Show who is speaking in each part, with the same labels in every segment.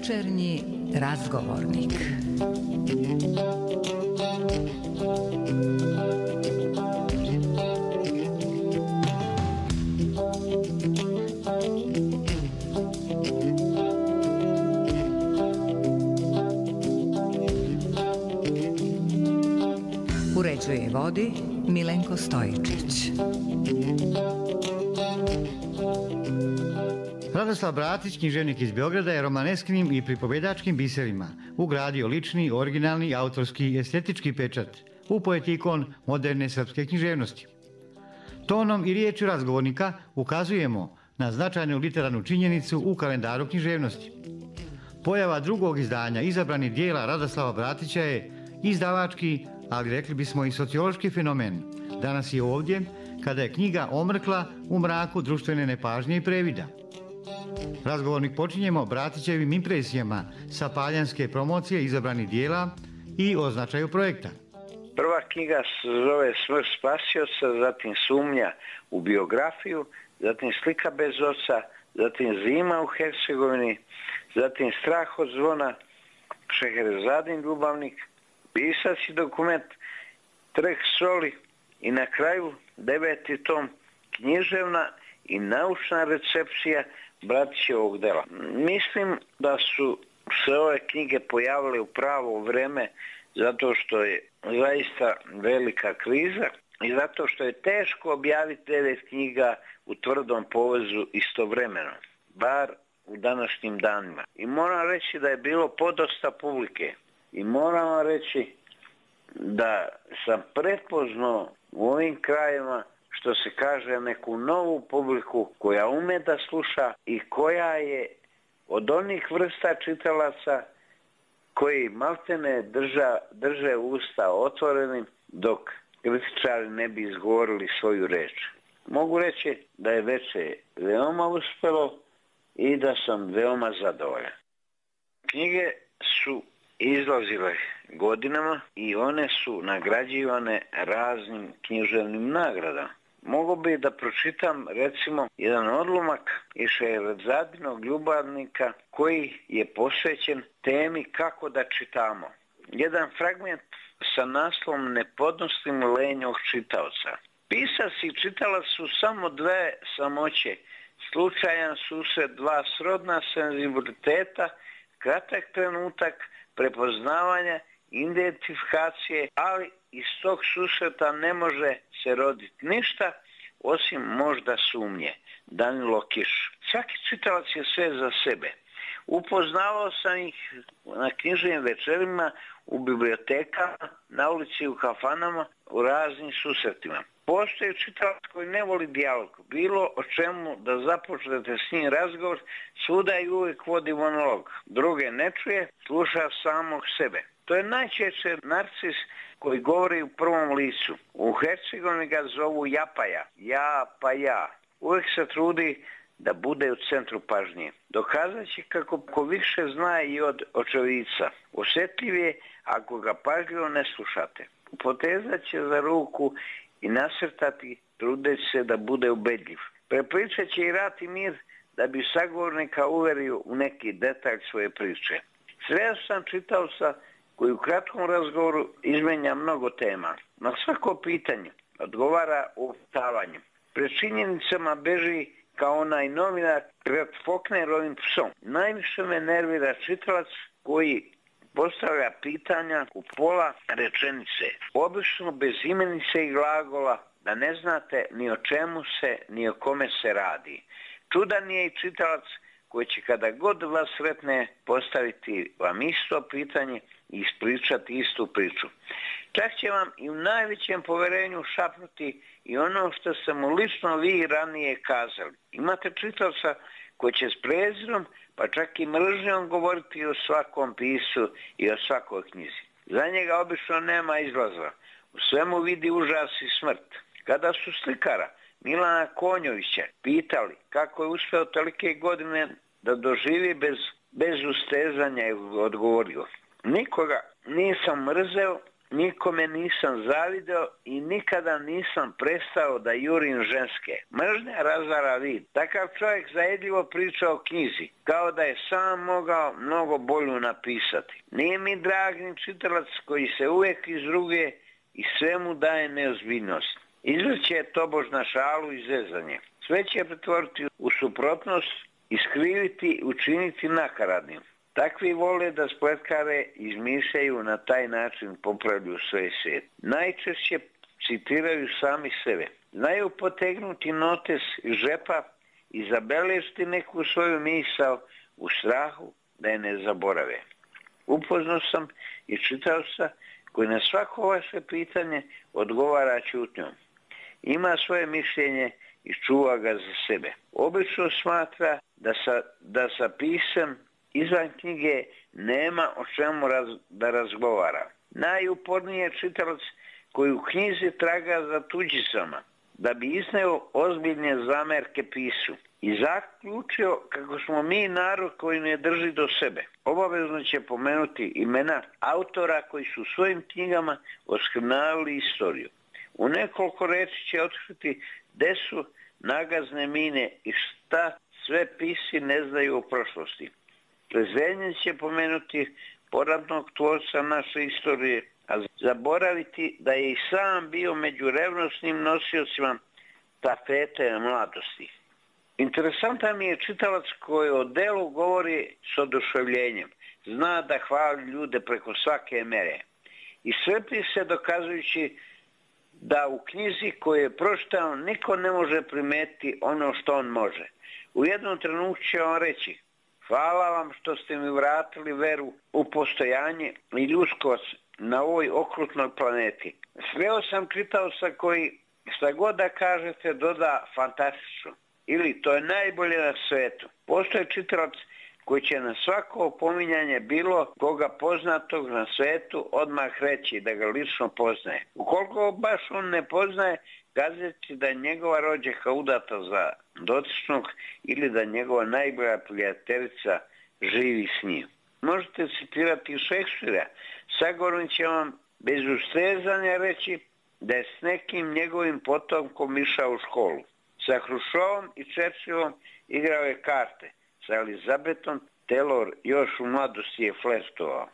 Speaker 1: Večernji razgovornik. Uređuje i vodi Milenko Stojičić.
Speaker 2: Radoslav Bratić, književnik iz Beograda, je romanesknim i pripovedačkim biserima ugradio lični, originalni, autorski i estetički pečat u poetikon moderne srpske književnosti. Tonom i riječju razgovornika ukazujemo na značajnu literarnu činjenicu u kalendaru književnosti. Pojava drugog izdanja izabranih dijela Radoslava Bratića je izdavački, ali rekli bismo i sociološki fenomen. Danas je ovdje kada je knjiga omrkla u mraku društvene nepažnje i previda. Razgovornik počinjemo Bratićevim impresijama sa paljanske promocije izabranih dijela i o značaju projekta.
Speaker 3: Prva knjiga se zove Smrt spasioca, zatim Sumnja u biografiju, zatim Slika bez oca, zatim Zima u Hercegovini, zatim Strah od zvona, Šeherezadin ljubavnik, pisac i dokument Trg soli i na kraju 9. tom književna i naučna recepcija Bratićevog dela. Mislim da su se ove knjige pojavile u pravo vreme zato što je zaista velika kriza i zato što je teško objaviti 9 knjiga u tvrdom povezu istovremeno, bar u današnjim danima. I moram reći da je bilo podosta publike i moram vam reći da sam prepoznao u ovim krajevima, što se kaže, neku novu publiku koja ume da sluša i koja je od onih vrsta čitalaca koji maltene drže usta otvorenim dok kritičari ne bi izgovorili svoju reč. Mogu reći da je veče veoma uspelo i da sam veoma zadovoljan. Knjige su izlazile godinama i one su nagrađivane raznim književnim nagradama. Mogu bi da pročitam recimo jedan odlomak iz Šeherezadinog ljubavnika koji je posvećen temi kako da čitamo. Jedan fragment sa naslovom Ne podnostim lenjog čitaoca. Pisac i čitalac su samo dve samoće, slučajan susret dva srodna senzibiliteta, kratak trenutak prepoznavanja, identifikacije, ali iz tog susreta ne može se roditi ništa osim možda sumnje. Danilo Kiš. Svaki čitalac je sve za sebe. Upoznavao sam ih na književnim večerima, u bibliotekama, na ulici, u kafanama, u raznim susretima. Postoji čitalac koji ne voli dijalog. Bilo o čemu da započnete s njim razgovor, svuda i uvijek vodi monolog. Druge ne čuje, sluša samog sebe. To je najčešće narcis koji govori u prvom licu. U Hercegovini ga zovu japaja. Ja pa ja. Uvijek se trudi da bude u centru pažnje. Dokazat će kako više zna i od očevica. Osjetljiv je ako ga pažljivo ne slušate. Potezat će za ruku i nasrtati, trudeći se da bude ubedljiv. Prepričat će i rat i mir da bi sagovornika uverio u neki detalj svoje priče. Sreo sam čitaoca koji u kratkom razgovoru izmenja mnogo tema. Na svako pitanje odgovara upitavanjem. Pred činjenicama beži kao onaj novinar pred Faulknerovim psom. Najviše me nervira čitalac koji postavlja pitanja u pola rečenice. Obično bez imenice i glagola, da ne znate ni o čemu se, ni o kome se radi. Čudan je i čitalac koji će kada god vas sretne postaviti vam isto pitanje i ispričati istu priču. Čak će vam i u najvećem poverenju šapnuti i ono što ste mu lično vi ranije kazali. Imate čitalaca koji će s prezirom, pa čak i mržnjom govoriti o svakom pisu i o svakoj knjizi. Za njega obično nema izlaza. U svemu vidi užas i smrt. Kada su slikara Milana Konjovića pitali kako je uspeo tolike godine da doživi bez ustezanja, i odgovorio: nikoga nisam mrzeo, nikome nisam zavideo i nikada nisam prestao da jurim ženske. Mržnja razara vid. Takav čovjek zajedljivo priča o knjizi, kao da je sam mogao mnogo bolju napisati. Nije mi drag ni čitalac koji se uvijek izruguje i svemu daje neozbiljnost. Izvrće tobož na šalu i zezanje. Sve će pretvoriti u suprotnost, iskriviti, učiniti nakaradnim. Takvi vole da spletkare izmišljaju, na taj način popravlju svoj svijet. Najčešće citiraju sami sebe. Znaju potegnuti notes iz žepa i zabeležiti neku svoju misao u strahu da je ne zaborave. Upoznao sam i čitaoca koji na svako vaše pitanje odgovara ćutnjom. Ima svoje mišljenje i čuva ga za sebe. Obično smatra da sa pisem izvan knjige nema o čemu da razgovara. Najuporniji je čitalac koji u knjizi traga za tuđicama, da bi izneo ozbiljne zamerke pisu i zaključio kako smo mi narod koji ne drži do sebe. Obavezno će pomenuti imena autora koji su svojim knjigama oskrnavili istoriju. U nekoliko reči će otkriti gde su nagazne mine i šta sve pisi ne znaju o prošlosti. Prezrenje će pomenuti poradnog tvorca naše istorije, a zaboraviti da je i sam bio među revnosnim nosiocima tafete mladosti. Interesantan mi je čitalac koji o delu govori s oduševljenjem. Zna da hvali ljude preko svake mere. I srpi se dokazujući da u knjizi koju je pročitao niko ne može primetiti ono što on može. U jednom trenutku će on reći: hvala vam što ste mi vratili veru u postojanje i ljudskost na ovoj okrutnoj planeti. Sreo sam čitaoca koji šta god da kažete doda fantastično. Ili to je najbolje na svetu. Postoje čitalac koji će na svako opominjanje bilo koga poznatog na svetu odmah reći da ga lično poznaje. Ukoliko baš on ne poznaje, kazeći da je njegova rođaka udata za dotičnog ili da njegova najbolja prijateljica živi s njim. Možete citirati Šekspira. Sagovornik će vam bez ustezanja reći da je s nekim njegovim potomkom išao u školu. Sa Hrušovom i Churchillom igrao je karte. Sa Elizabetom Taylor još u mladosti je flertovao.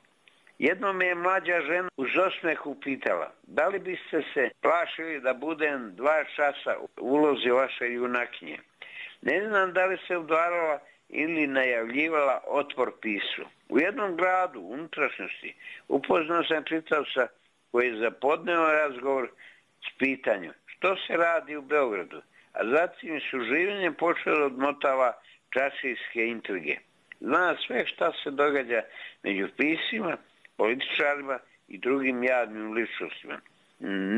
Speaker 3: Jednom je mlađa žena uz osmeh upitala: da li biste se plašili da budem 2 časa u ulozi vaše junakinje? Ne znam da li se udvarala ili najavljivala otpor pisu. U jednom gradu, u unutrašnjosti, upoznao sam čitavca koji je zapodneo razgovor s pitanjem što se radi u Beogradu, a zatim su življenjem počelo odmotava časijske intrige. Zna sve šta se događa među pisima, političarima i drugim jadnim ličnostima.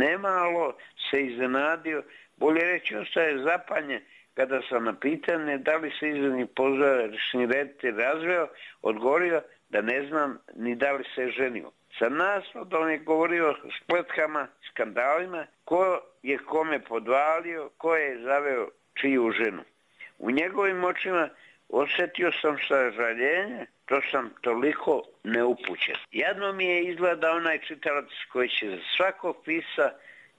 Speaker 3: Nemalo se iznenadio, bolje reći ostaje zapanjen, kada sam na pitanje da li se izvršni pozorišni reditelj razveo, odgovorio da ne znam ni da li se ženio. Sa naslovom je govorio o spletkama, skandalima, ko je kome podvalio, ko je zaveo čiju ženu. U njegovim očima osjetio sam sažaljenje, to sam toliko neupućen. Jadno mi je izgleda onaj čitalac koji će za svakog pisa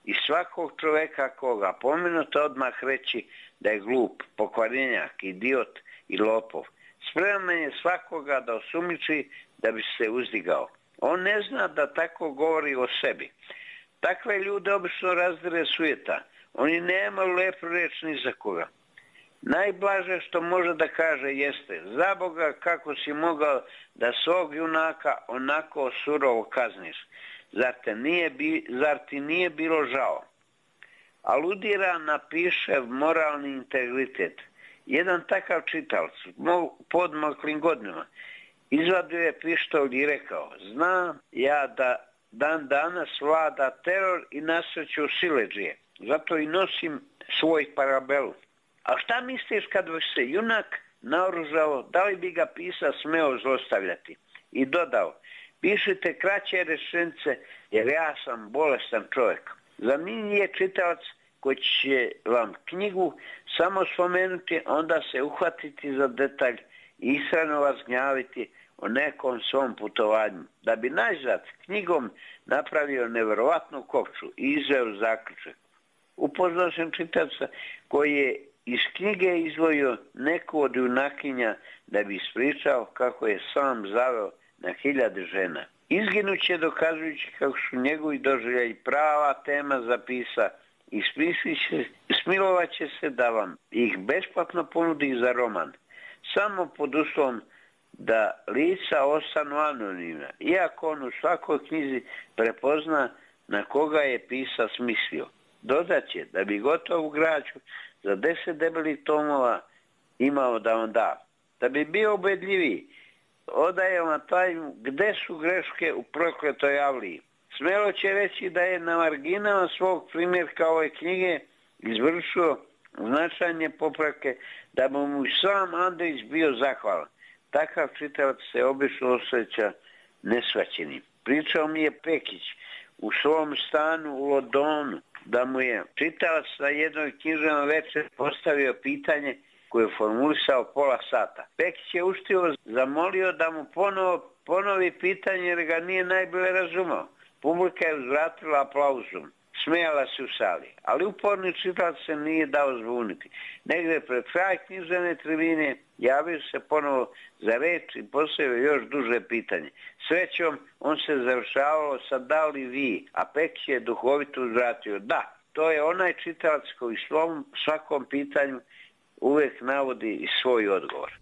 Speaker 3: i svakog čoveka koga pomenuta odmah reći da je glup, pokvarenjak, idiot i lopov. Spreman je svakoga da osumnjiči da bi se uzdigao. On ne zna da tako govori o sebi. Takve ljude obično razdire sujeta. Oni nemaju lepu reč ni za koga. Najblaže što može da kaže jeste: za Boga, kako si mogao da svog junaka onako surovo kazniš? Zar ti nije bilo žao? Aludira na Pišev moralni integritet. Jedan takav čitalac u podmaklim godinama izvadio je pištolj i rekao: znam ja da dan danas vlada teror i nasreću siledžije, zato i nosim svoj parabelu. A šta misliš kad bi se junak naoružao, da li bi ga pisac smeo zlostavljati? I dodao: pišite kraće rečenice jer ja sam bolestan čovjek. Za mene je čitalac koji će vam knjigu samo spomenuti, onda se uhvatiti za detalj i iskreno vas gnjaviti, o nekom svom putovanju, da bi najzad knjigom napravio neverovatnu kopču i izveo zaključak. Upoznao sam čitavca koji je iz knjige izdvojio neku od junakinja da bi ispričao kako je sam zaveo na 1000 žena. Izginuće dokazujući kako su njegovi doživljaji prava tema za pisa i smilovat će se da vam ih besplatno ponudi za roman, samo pod uslovom da lica ostanu anonimna, iako on u svakoj knjizi prepozna na koga je pisac mislio. Dodaće da bi gotovu građu za 10 debelih tomova imao da on da. Da bi bio ubedljiviji, odaje vam tajnu gde su greške u prokletoj Avliji. Smelo će reći da je na marginama svog primjerka ove knjige izvršio značajne popravke, da bi mu sam Andrić bio zahvalan. Takav čitavac se obično osjeća nesvaćenim. Pričao mi je Pekić u svom stanu u Londonu da mu je čitavac na jednoj književnoj večeri postavio pitanje koje je formulisao pola sata. Pekić je uštivo zamolio da mu ponovi pitanje jer ga nije najbolje razumao. Publika je uzvratila aplauzom. Smijala se u sali, ali uporni čitalac se nije dao zbuniti. Negde pred kraj književne tribine javio se ponovo za reč i postavio još duže pitanje. Srećom, on se završavao sa da li vi, a Pekić je duhovito uzvratio. Da, to je onaj čitalac koji svakom pitanju uvijek navodi i svoj odgovor.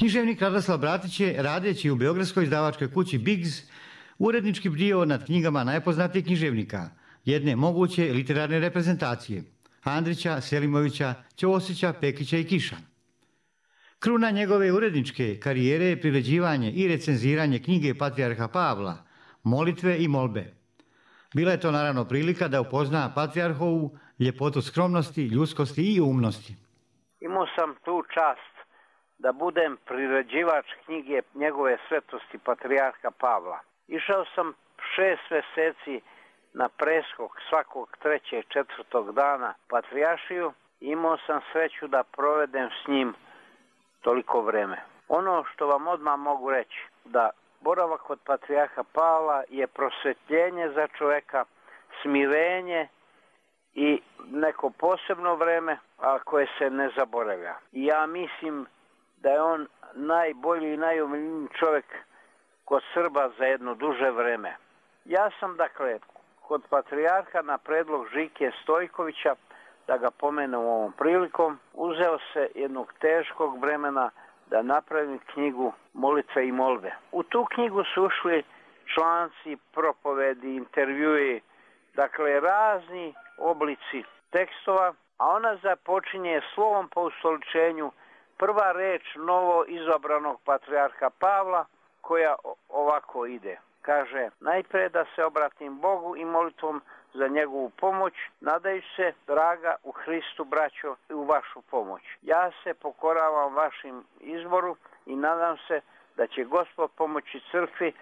Speaker 2: Književnik Radoslav Bratić je, radeći u beogradskoj izdavačkoj kući Biggs, urednički bdio nad knjigama najpoznatijih književnika, jedne moguće literarne reprezentacije, Andrića, Selimovića, Ćosića, Pekića i Kiša. Kruna njegove uredničke karijere je priređivanje i recenziranje knjige Patrijarha Pavla, Molitve i molbe. Bila je to naravno prilika da upozna Patrijarhovu ljepotu skromnosti, ljudskosti i umnosti.
Speaker 4: Imao sam tu čast da budem priređivač knjige njegove svetosti Patrijarha Pavla. Išao sam 6 meseci na preskok svakog 3. i 4. dana Patrijaršiju i imao sam sreću da provedem s njim toliko vreme. Ono što vam odmah mogu reći, da boravak kod patrijarha Pavla je prosvetljenje za čoveka, smirenje i neko posebno vreme, a koje se ne zaboravlja. I ja mislim da je on najbolji i najomiljeniji čovjek kod Srba za jedno duže vreme. Ja sam, dakle, kod patrijarha na predlog Žike Stojkovića, da ga pomenem ovom prilikom, uzeo se jednog teškog vremena da napravim knjigu Molitve i molbe. U tu knjigu su ušli članci, propovedi, intervjui, dakle razni oblici tekstova, a ona započinje slovom po ustoličenju, prva reč novo izabranog patrijarha Pavla, koja ovako ide. Kaže, najprije da se obratim Bogu i molitvom za njegovu pomoć, nadajući se, draga u Hristu, braćo, i u vašu pomoć. Ja se pokoravam vašim izboru i nadam se da će Gospod pomoći crkvi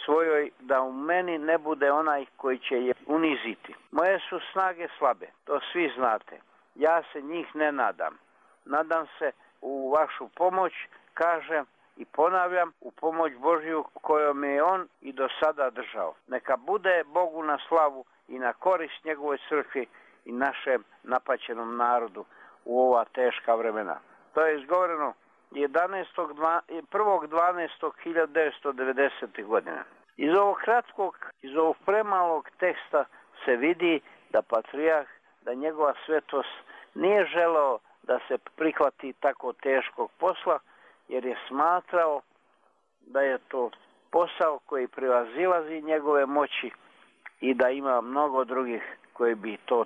Speaker 4: svojoj, da u meni ne bude onaj koji će je uniziti. Moje su snage slabe, to svi znate. Ja se njih ne nadam. Nadam se u vašu pomoć, kažem i ponavljam, u pomoć Božju kojom je on i do sada držao. Neka bude Bogu na slavu i na korist njegovoj crkvi i našem napaćenom narodu u ova teška vremena. To je izgovoreno 1.12.1990. godine. Iz ovog premalog teksta se vidi da patrijarh, da njegova svetost nije želeo da se prihvati tako teškog posla, jer je smatrao da je to posao koji prevazilazi njegove moći i da ima mnogo drugih koji bi to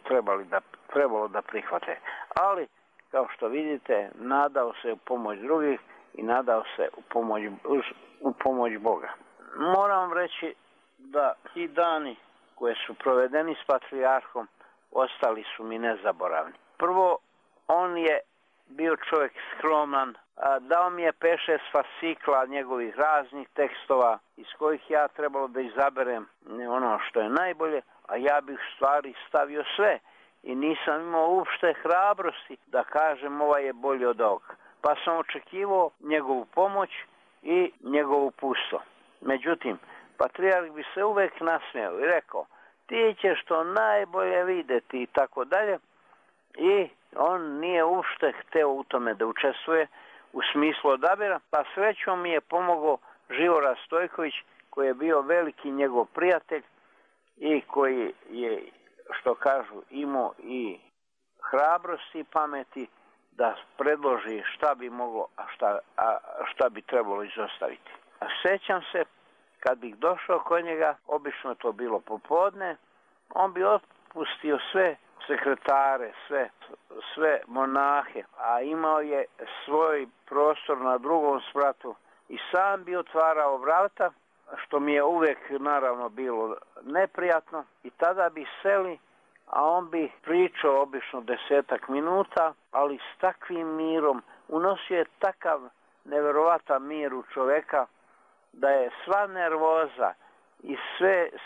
Speaker 4: trebalo da prihvate. Ali, kao što vidite, nadao se u pomoć drugih i nadao se u pomoć Boga. Moram reći da ti dani koje su provedeni s patrijarhom ostali su mi nezaboravni. Prvo, on je bio čovjek skroman, dao mi je 5-6 fascikla njegovih raznih tekstova iz kojih ja trebalo da izaberem ono što je najbolje, a ja bih stvari stavio sve i nisam imao uopšte hrabrosti da kažem ovaj je bolji od ovog. Pa sam očekivao njegovu pomoć i njegovu pusto. Međutim, patrijarh bi se uvek nasmijao i rekao, ti ćeš to najbolje vidjeti i tako dalje, i on nije uopšte hteo u tome da učestvuje u smislu odabira, pa srećom mi je pomogao Živora Stojković, koji je bio veliki njegov prijatelj i koji je, što kažu, imao i hrabrosti i pameti da predloži šta bi moglo, a šta bi trebalo izostaviti. A sjećam se, kad bih došao kod njega, obično to bilo popodne, on bi otpustio sve sekretare, sve monahe, a imao je svoj prostor na drugom spratu i sam bi otvarao vrata, što mi je uvijek naravno bilo neprijatno, i tada bi seli, a on bi pričao obično 10 minuta, ali s takvim mirom, unosio je takav neverovatan mir u čoveka, da je sva nervoza i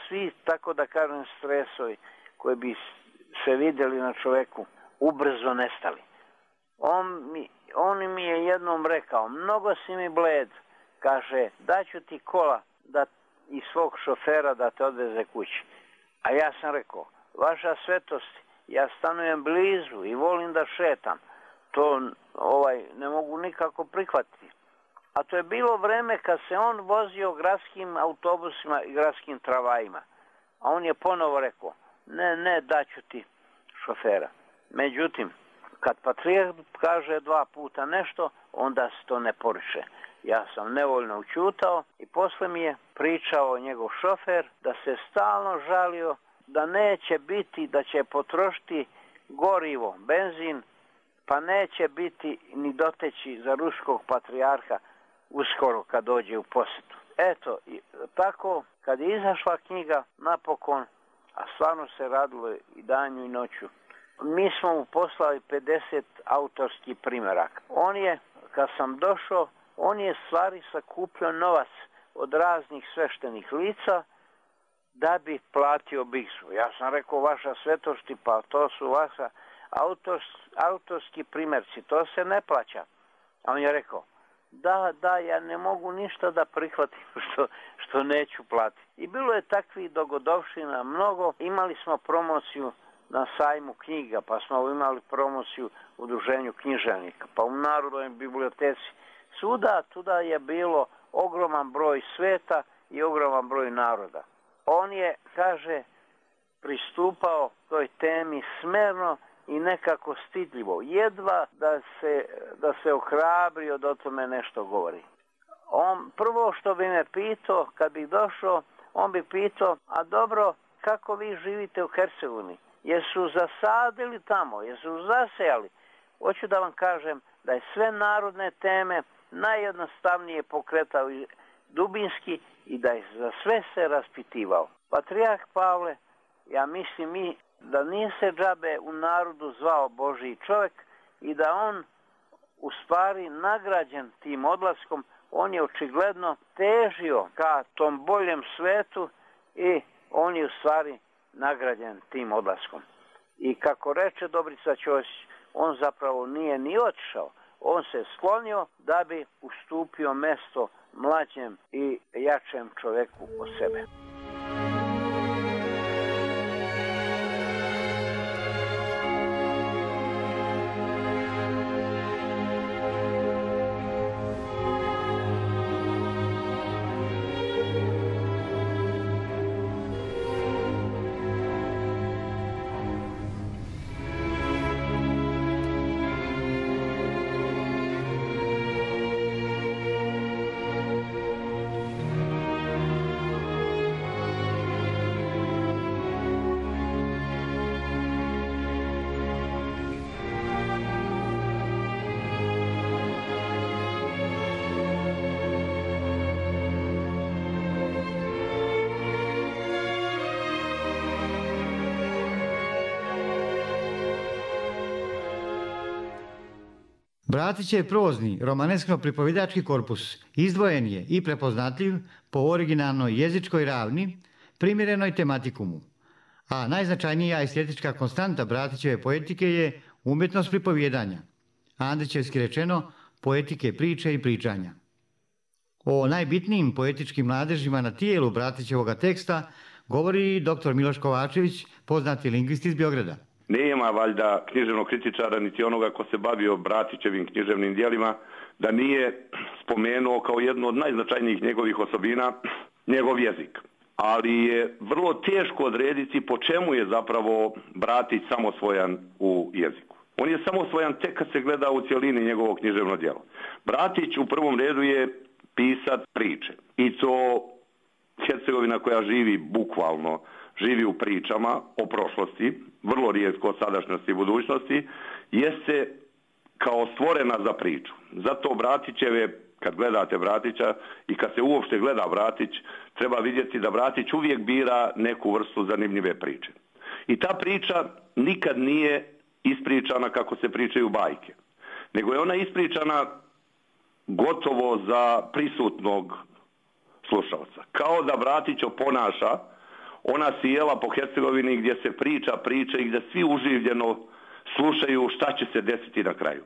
Speaker 4: svi, tako da kažem, stresovi koji bi se vidjeli na čoveku, ubrzo nestali. On mi je jednom rekao, mnogo si mi bled, kaže, daću ti kola i svog šofera da te odveze kući. A ja sam rekao, vaša svetost, ja stanujem blizu i volim da šetam, to ne mogu nikako prihvatiti. A to je bilo vreme kad se on vozio gradskim autobusima i gradskim tramvajima. A on je ponovo rekao, ne, daću ti šofera. Međutim, kad patrijarh kaže 2 puta nešto, onda se to ne poriče. Ja sam nevoljno učutao i posle mi je pričao njegov šofer da se stalno žalio da neće biti, da će potrošiti gorivo, benzin, pa neće biti ni doteći za ruskog patrijarha uskoro kad dođe u posjetu. Eto, tako kad je izašla knjiga napokon, a stvarno se radilo i danju i noću, mi smo mu poslali 50 autorskih primeraka. Kad sam došao, on je stvari sakupljao novac od raznih sveštenih lica da bi platio biksu. Ja sam rekao, vaša svetosti, pa to su autorski primerci, to se ne plaća. A on je rekao, da, ja ne mogu ništa da prihvatim što neću platiti. I bilo je takvih dogodovština mnogo. Imali smo promociju na sajmu knjiga, pa smo imali promociju u udruženju književnika, pa u Narodnoj biblioteci. Tuda je bilo ogroman broj sveta i ogroman broj naroda. On je, kaže, pristupao toj temi smerno i nekako stidljivo. Jedva da se ohrabrio da o tome nešto govori. Prvo što bi me pitao, kad bih došao, on bi pitao, a dobro, kako vi živite u Hercegovini? Jesu zasadili tamo? Jesu zasejali? Hoću da vam kažem da je sve narodne teme najjednostavnije pokretao dubinski i da je za sve se raspitivao. Patrijarh Pavle, ja mislim da nije se džabe u narodu zvao Božji čovjek i da on u stvari nagrađen tim odlaskom, on je očigledno težio ka tom boljem svetu i on je u stvari nagrađen tim odlaskom. I kako reče Dobrica Ćosić, on zapravo nije ni otišao, on se sklonio da bi ustupio mesto mlađem i jačem čovjeku od sebe.
Speaker 2: Bratićev prozni romaneskno-pripovjedački korpus izdvojen je i prepoznatljiv po originalnoj jezičkoj ravni, primjerenoj tematikumu, a najznačajnija estetička konstanta Bratićeve poetike je umjetnost pripovjedanja, Andrićevski rečeno poetike priče i pričanja. O najbitnijim poetičkim mladežima na tijelu Bratićevoga teksta govori dr. Miloš Kovačević, poznati lingvist iz Beograda.
Speaker 5: Nema valjda književnog kritičara niti onoga ko se bavio Bratićevim književnim dijelima da nije spomenuo kao jednu od najznačajnijih njegovih osobina njegov jezik. Ali je vrlo teško odrediti po čemu je zapravo Bratić samosvojan u jeziku. On je samosvojan tek kad se gleda u cjelini njegovog književno djelo. Bratić u prvom redu je pisac priče. I to Hercegovina koja živi bukvalno, živi u pričama o prošlosti, vrlo rijetko o sadašnjosti i budućnosti, jeste kao stvorena za priču. Zato Bratićeve, kad gledate Bratića i kad se uopšte gleda Bratić, treba vidjeti da Bratić uvijek bira neku vrstu zanimljive priče. I ta priča nikad nije ispričana kako se pričaju bajke, nego je ona ispričana gotovo za prisutnog slušalca. Kao da Bratić oponaša ona sjela po Hercegovini gdje se priča i gdje svi uživljeno slušaju šta će se desiti na kraju.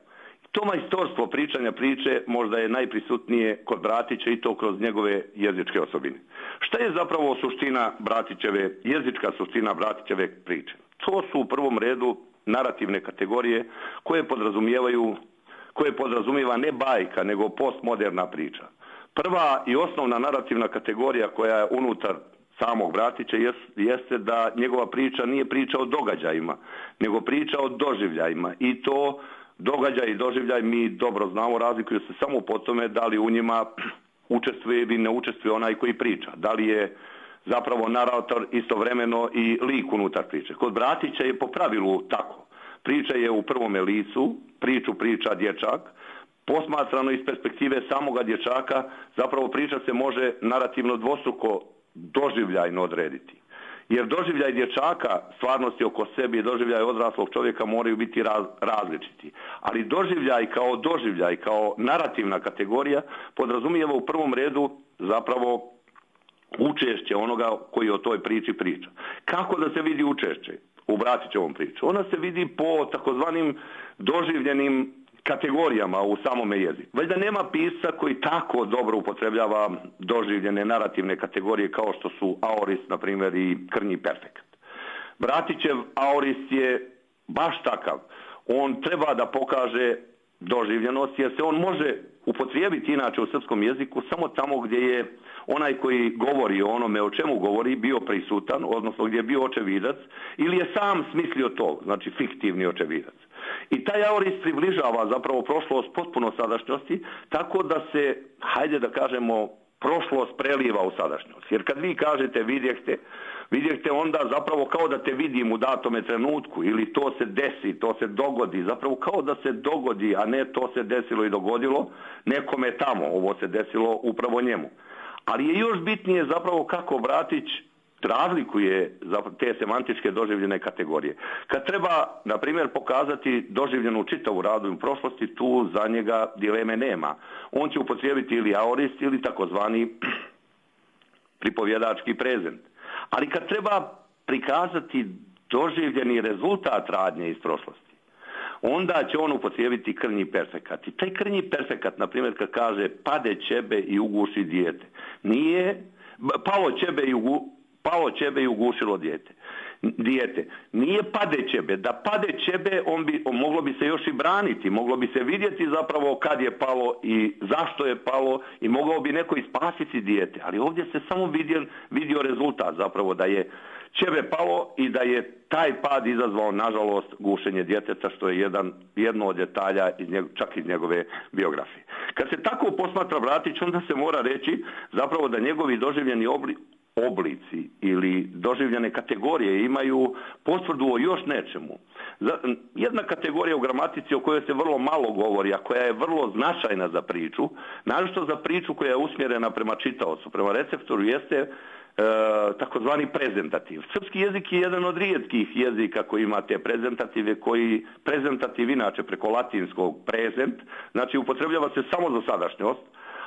Speaker 5: To majstorstvo pričanja priče možda je najprisutnije kod Bratića i to kroz njegove jezičke osobine. Šta je zapravo suština Bratićeve, jezička suština Bratićeve priče? To su u prvom redu narativne kategorije koje podrazumijeva ne bajka, nego postmoderna priča. Prva i osnovna narativna kategorija koja je unutar samog Bratića jeste da njegova priča nije priča o događajima, nego priča o doživljajima. I to događaj i doživljaj mi dobro znamo, razlikuju se samo po tome da li u njima učestvuje ili ne učestvuje onaj koji priča. Da li je zapravo narator istovremeno i lik unutar priče. Kod Bratića je po pravilu tako. Priča je u prvome licu, priču priča dječak. Posmatrano iz perspektive samoga dječaka, zapravo priča se može narativno dvostruko doživljajno odrediti. Jer doživljaj dječaka, stvarnosti oko sebe i doživljaj odraslog čovjeka moraju biti različiti. Ali doživljaj kao narativna kategorija podrazumijeva u prvom redu zapravo učešće onoga koji o toj priči priča. Kako da se vidi učešće u Bratićevom priču? Ona se vidi po takozvanim doživljenim kategorijama u samome jeziku. Valjda nema pisca koji tako dobro upotrebljava doživljene narativne kategorije kao što su aorist, na primjer, i krnji perfekat. Bratićev aorist je baš takav. On treba da pokaže doživljenost, jer se on može upotrijebiti inače u srpskom jeziku samo tamo gdje je onaj koji govori o onome o čemu govori bio prisutan, odnosno gdje je bio očevidac, ili je sam smislio to, znači fiktivni očevidac. I taj aorist približava zapravo prošlost potpuno sadašnjosti, tako da se, hajde da kažemo, prošlost preliva u sadašnjost. Jer kad vi kažete vidjehte onda zapravo kao da te vidim u datome trenutku, ili to se desi, to se dogodi, zapravo kao da se dogodi, a ne to se desilo i dogodilo nekome tamo, ovo se desilo upravo njemu. Ali je još bitnije zapravo kako Bratić razlikuje te semantičke doživljene kategorije. Kad treba, na primjer, pokazati doživljenu čitavu radovnu prošlosti, tu za njega dileme nema. On će upotrijebiti ili aorist ili takozvani pripovjedački prezent. Ali kad treba prikazati doživljeni rezultat radnje iz prošlosti, onda će on upotrijebiti krnji perfekat. I taj krnji perfekat, na primjer, kad kaže pade ćebe i uguši dijete, nije palo ćebe i ugušilo dijete. Nije pade ćebe. Da pade ćebe, moglo bi se još i braniti, moglo bi se vidjeti zapravo kad je palo i zašto je palo i mogao bi neko ispasiti dijete. Ali ovdje se samo vidio rezultat zapravo da je ćebe palo i da je taj pad izazvao, nažalost, gušenje djeteta, što je jedno od detalja čak iz njegove biografije. Kad se tako posmatra Bratić, onda se mora reći zapravo da njegovi doživljeni oblici ili doživljene kategorije imaju potvrdu o još nečemu. Jedna kategorija u gramatici o kojoj se vrlo malo govori, a koja je vrlo značajna za priču, naročito za priču koja je usmjerena prema čitaocu, prema receptoru, jeste takozvani prezentativ. Srpski jezik je jedan od rijetkih jezika koji ima te prezentative, prezentativ inače preko latinskog prezent, znači upotrebljava se samo za sadašnjost,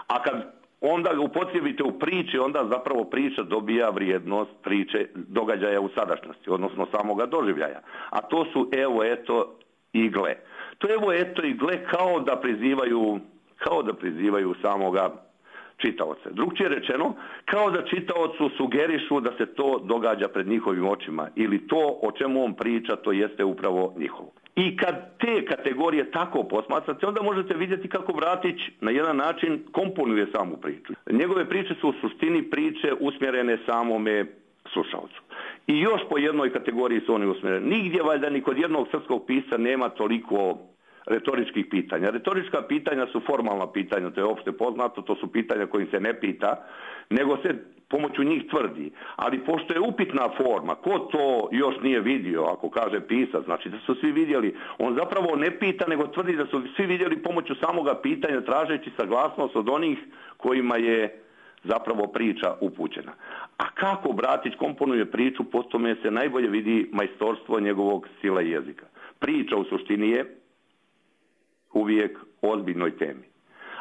Speaker 5: a kad onda ga upotrijebite u priči, onda zapravo priča dobija vrijednost priče događaja u sadašnjosti, odnosno samoga doživljaja. A to su evo, eto i gle. To evo, eto i gle kao da prizivaju samoga čitaoca. Drugčije rečeno, kao da čitaocu sugerišu da se to događa pred njihovim očima ili to o čemu on priča, to jeste upravo njihovo. I kad te kategorije tako posmatrate, onda možete vidjeti kako Bratić na jedan način komponuje samu priču. Njegove priče su u suštini priče usmjerene samome slušalcu. I još po jednoj kategoriji su oni usmjereni. Nigdje valjda ni kod jednog srpskog pisca nema toliko retoričkih pitanja. Retorička pitanja su formalna pitanja, to je opšte poznato, to su pitanja kojim se ne pita, nego se pomoću njih tvrdi. Ali pošto je upitna forma, ko to još nije vidio, ako kaže pisac, znači da su svi vidjeli, on zapravo ne pita, nego tvrdi da su svi vidjeli pomoću samoga pitanja, tražeći saglasnost od onih kojima je zapravo priča upućena. A kako Bratić komponuje priču, po tome se najbolje vidi majstorstvo njegovog stila i jezika. Priča u suštini je uvijek o ozbiljnoj temi.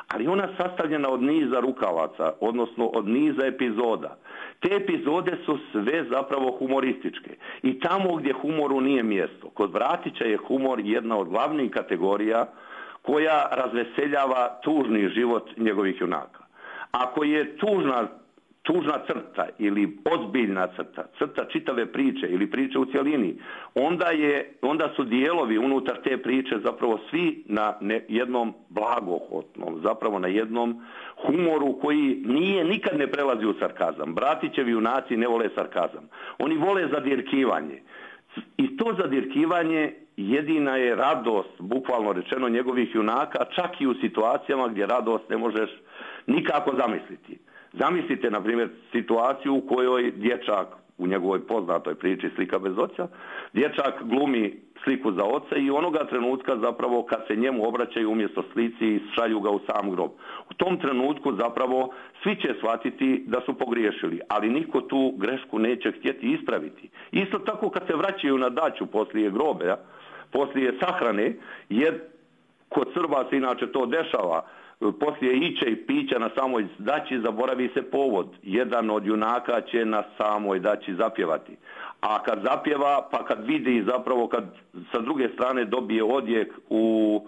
Speaker 5: Ali ona sastavljena od niza rukavaca, odnosno od niza epizoda. Te epizode su sve zapravo humorističke. I tamo gdje humoru nije mjesto. Kod Bratića je humor jedna od glavnih kategorija koja razveseljava tužni život njegovih junaka. Ako je tužna crta ili ozbiljna crta čitave priče ili priče u cjelini, onda su dijelovi unutar te priče zapravo svi na jednom blagohotnom, zapravo na jednom humoru koji nikad ne prelazi u sarkazam. Bratićevi junaci ne vole sarkazam. Oni vole zadirkivanje. I to zadirkivanje jedina je radost, bukvalno rečeno, njegovih junaka, čak i u situacijama gdje radost ne možeš nikako zamisliti. Zamislite, na primjer, situaciju u kojoj dječak, u njegovoj poznatoj priči Slika bez oca, dječak glumi sliku za oca i onoga trenutka zapravo kad se njemu obraćaju umjesto slici šalju ga u sam grob. U tom trenutku zapravo svi će shvatiti da su pogriješili, ali niko tu grešku neće htjeti ispraviti. Isto tako kad se vraćaju na daću poslije grobe, poslije sahrane, jer kod Srba se inače to dešava, poslije iće i pića na samoj daći zaboravi se povod. Jedan od junaka će na samoj daći zapjevati. A kad zapjeva, pa kad vidi zapravo, kad sa druge strane dobije odjek u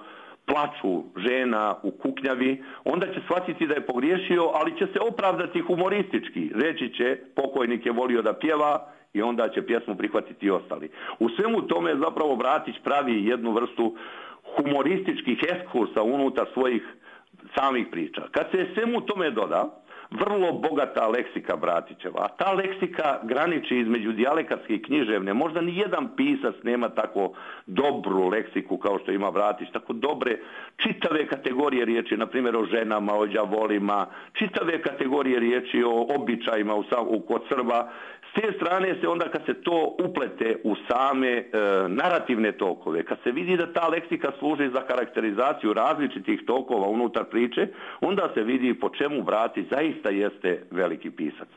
Speaker 5: plaču žena u kuknjavi, onda će shvatiti da je pogriješio, ali će se opravdati humoristički. Reći će, pokojnik je volio da pjeva i onda će pjesmu prihvatiti i ostali. U svemu tome zapravo Bratić pravi jednu vrstu humorističkih ekskursa unutar svojih samih priča. Kad se svemu tome doda vrlo bogata leksika Bratićeva, a ta leksika graniči između dijalekatske i književne. Možda ni jedan pisac nema tako dobru leksiku kao što ima Bratić, tako dobre čitave kategorije riječi, na primjer o ženama, o đavolima, čitave kategorije riječi o običajima kod Srba. S te strane se onda kad se to uplete u same narativne tokove, kad se vidi da ta leksika služi za karakterizaciju različitih tokova unutar priče, onda se vidi po čemu Bratić zaista jeste veliki pisac.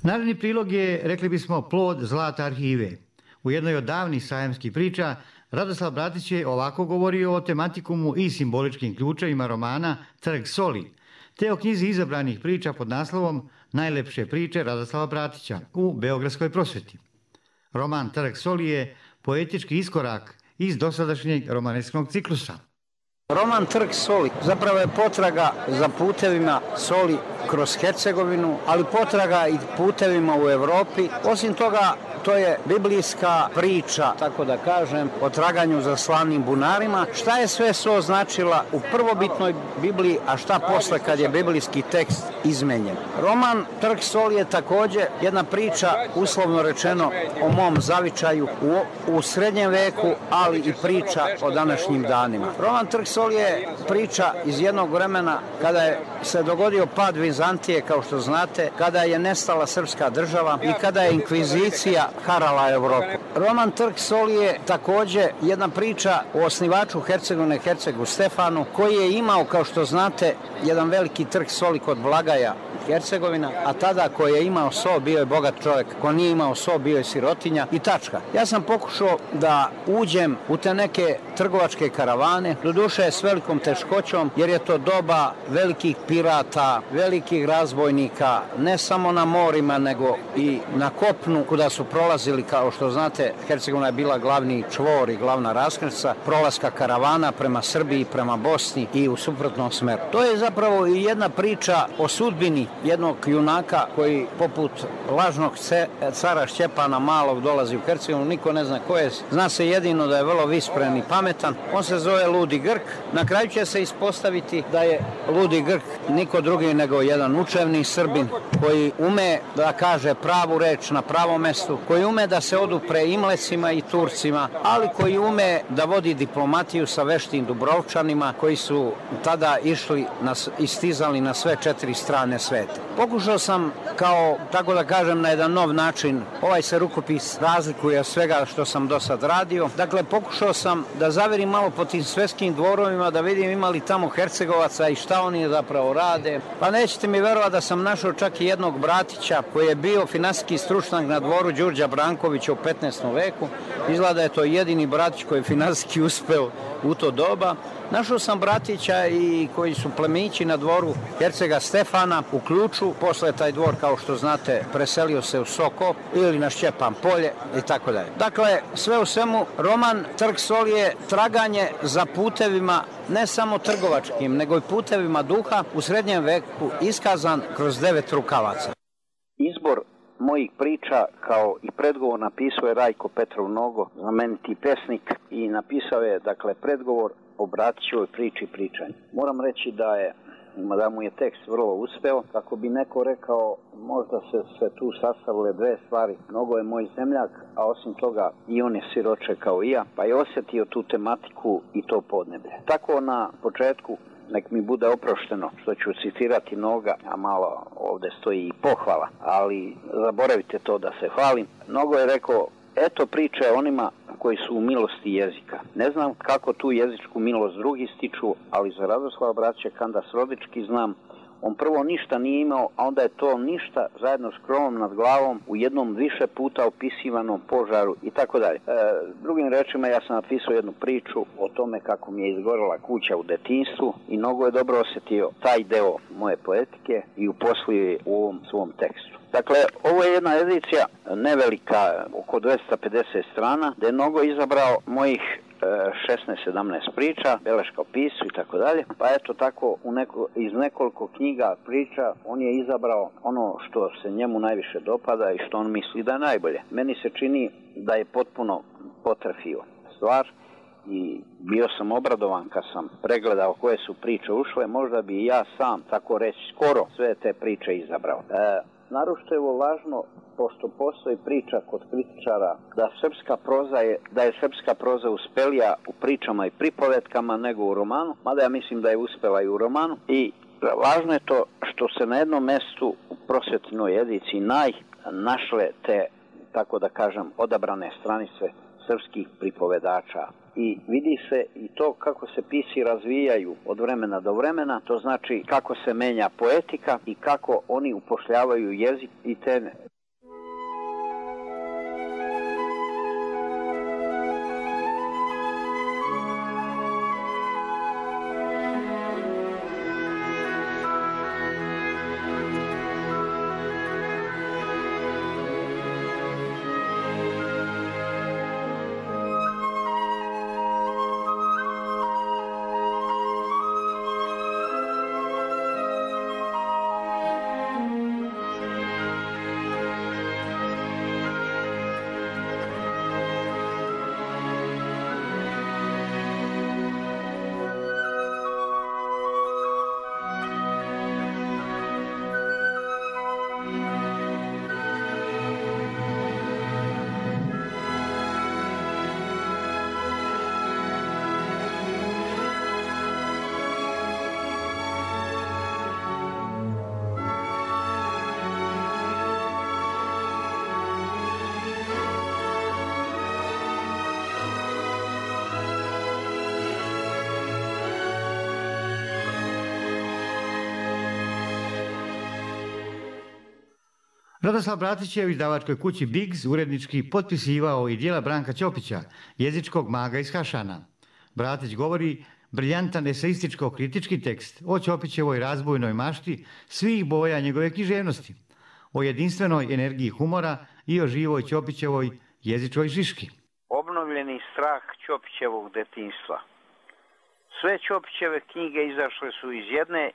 Speaker 2: Naredni prilog je, rekli bismo, plod zlata arhive. U jednoj od davnih sajamskih priča Radoslav Bratić je ovako govorio o tematikumu i simboličkim ključevima romana Trg soli, te o knjizi izabranih priča pod naslovom Najlepše priče Radoslava Bratića u Beogradskoj prosveti. Roman Trg soli je poetički iskorak iz dosadašnjeg romanesknog ciklusa.
Speaker 6: Roman Trg soli zapravo je potraga za putevima soli kroz Hercegovinu, ali potraga i putevima u Evropi. Osim toga, to je biblijska priča, tako da kažem, o traganju za slavnim bunarima. Šta je sve so značila u prvobitnoj Bibliji, a šta posle kad je biblijski tekst izmenjen. Roman Trg soli je također jedna priča, uslovno rečeno, o mom zavičaju u srednjem veku, ali i priča o današnjim danima. Roman Trg soli je priča iz jednog vremena kada je se dogodio pad Vizantije, kao što znate, kada je nestala srpska država i kada je inkvizicija harala Evropu. Roman Trg soli je također jedna priča o osnivaču Hercegovine, Hercegu Stefanu, koji je imao, kao što znate, jedan veliki trg soli kod Blagaja, Hercegovina, a tada ko je imao so bio je bogat čovjek, ko nije imao so bio je sirotinja i tačka. Ja sam pokušao da uđem u te neke trgovačke karavane, doduše s velikom teškoćom, jer je to doba velikih pirata, velikih razbojnika, ne samo na morima, nego i na kopnu, kuda su prolazili, kao što znate, Hercegovina je bila glavni čvor i glavna raskrsnica prolaska karavana prema Srbiji, prema Bosni i u suprotnom smeru. To je zapravo i jedna priča o sudbini jednog junaka koji poput lažnog cara Šćepana Malog dolazi u Hercegovinu, niko ne zna ko je, zna se jedino da je vrlo vispren i pametan, on se zove Ludi Grk. Na kraju će se ispostaviti da je Ludi Grk niko drugi nego jedan učevni Srbin koji ume da kaže pravu reč na pravom mestu, koji ume da se odupre i Mlecima i Turcima, ali koji ume da vodi diplomatiju sa veštim Dubrovčanima koji su tada išli i stizali na sve 4 strane sveta. Pokušao sam, kao, tako da kažem, na jedan nov način, ovaj se rukopis razlikuje od svega što sam do sad radio. Dakle, pokušao sam da zaverim malo po tim svetskim dvorovima, da vidim imali tamo Hercegovaca i šta oni zapravo rade. Pa nećete mi verovati da sam našao čak i jednog Bratića koji je bio finansijski stručnjak na dvoru Đurđa Brankovića u 15. veku. Izgleda da je to jedini Bratić koji je finansijski uspeo u to doba. Našao sam bratića i koji su plemići na dvoru hercega Stefana u Ključu. Posle taj dvor, kao što znate, preselio se u Soko ili na Šćepan polje i tako dalje. Dakle, sve u svemu, roman Trg soli je traganje za putevima, ne samo trgovačkim, nego i putevima duha u srednjem veku iskazan kroz 9 rukavaca.
Speaker 4: Izbor mojih priča kao i predgovor napisao je Rajko Petrov Nogo, znameniti pesnik, i napisao je, dakle, predgovor o Bratićevoj priči pričanju. Moram reći da mu je tekst vrlo uspeo. Kako bi neko rekao, možda se tu sastavile dve stvari. Mnogo je moj zemljak, a osim toga i on je siroče kao i ja, pa je osjetio tu tematiku i to podneblje. Tako na početku, nek mi bude oprošteno što ću citirati Noga, a malo ovdje stoji i pohvala, ali zaboravite to da se hvalim. Nogo je rekao, eto priče onima koji su u milosti jezika. Ne znam kako tu jezičku milost drugi stiču, ali za Radoslava Bratića Kandas Rodički znam. On prvo ništa nije imao, a onda je to ništa zajedno s krovom nad glavom u jednom više puta opisivanom požaru i tako dalje. Drugim rečima, ja sam napisao jednu priču o tome kako mi je izgorela kuća u detinjstvu i mnogo je dobro osjetio taj deo moje poetike i uposlio je u ovom svom tekstu. Dakle, ovo je jedna edicija nevelika, oko 250 strana, gdje je mnogo izabrao mojih 16-17 priča, beleška o pisu i tako dalje. Pa eto tako, iz nekoliko knjiga priča on je izabrao ono što se njemu najviše dopada i što on misli da je najbolje. Meni se čini da je potpuno potrefio stvar i bio sam obradovan kad sam pregledao koje su priče ušle. Možda bi ja sam, tako reći, skoro sve te priče izabrao. Naročito je ovo važno, pošto postoji priča kod kritičara da je srpska proza uspelija u pričama i pripovetkama nego u romanu, mada ja mislim da je uspela i u romanu. I važno je to što se na jednom mestu u prosvetnoj ediciji našle te, tako da kažem, odabrane stranice srpskih pripovedača. I vidi se i to kako se pisi razvijaju od vremena do vremena, to znači kako se menja poetika i kako oni upošljavaju jezik i teme.
Speaker 2: Radoslav Bratić je u izdavačkoj kući Biggs urednički potpisivao i djela Branka Ćopića, jezičkog maga iz Hašana. Bratić govori briljantan eseističko-kritički tekst o Ćopićevoj razbojnoj mašti svih boja njegove književnosti, o jedinstvenoj energiji humora i o živoj Ćopićevoj jezičkoj žiški.
Speaker 4: Obnovljeni strah Ćopićevog detinjstva. Sve Ćopićeve knjige izašle su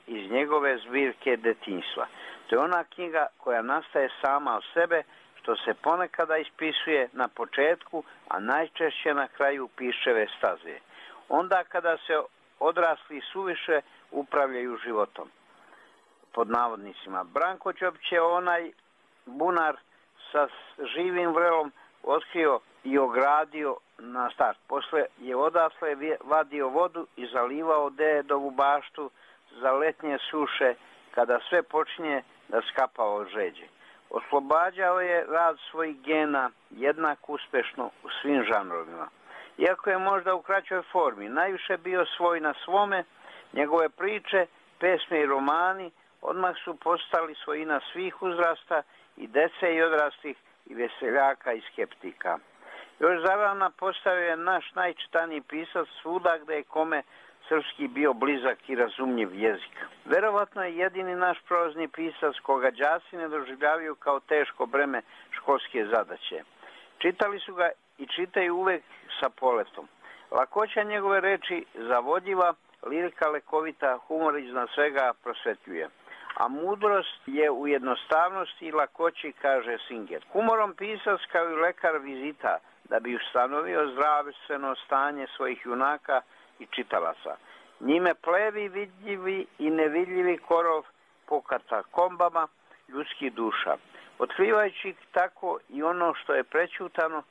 Speaker 4: iz njegove zbirke detinjstva. To je ona knjiga koja nastaje sama od sebe, što se ponekada ispisuje na početku, a najčešće na kraju piševe staze. Onda kada se odrasli suviše upravljaju životom. Pod navodnicima. Branko Ćopić je onaj bunar sa živim vrelom otkrio i ogradio na start. Posle je odasle vadio vodu i zalivao dedovu baštu za letnje suše, kada sve počinje da skapa od žeđe. Oslobađao je rad svojih gena jednak uspešno u svim žanrovima. Iako je možda u kraćoj formi najviše bio svoj na svome, njegove priče, pesme i romani odmah su postali svojina svih uzrasta, i dece i odraslih, i veseljaka i skeptika. Još zarana postavio je naš najčitaniji pisac svuda gde je kome srpski bio blizak i razumljiv jezik. Verovatno je jedini naš prozni pisac koga đaci ne doživljavaju kao teško breme školske zadaće. Čitali su ga i čitaju uvek sa poletom. Lakoća njegove reči zavodljiva, lirika lekovita, humor iznad svega prosvetljuje. A mudrost je u jednostavnosti i lakoći, kaže Singer. Humorom pisac kao i lekar vizita da bi ustanovio zdravstveno stanje svojih junaka i čitalaca. Njime plevi vidljivi i nevidljivi korov po katakombama ljudskih duša. Otkrivajući tako i ono što je prećutano,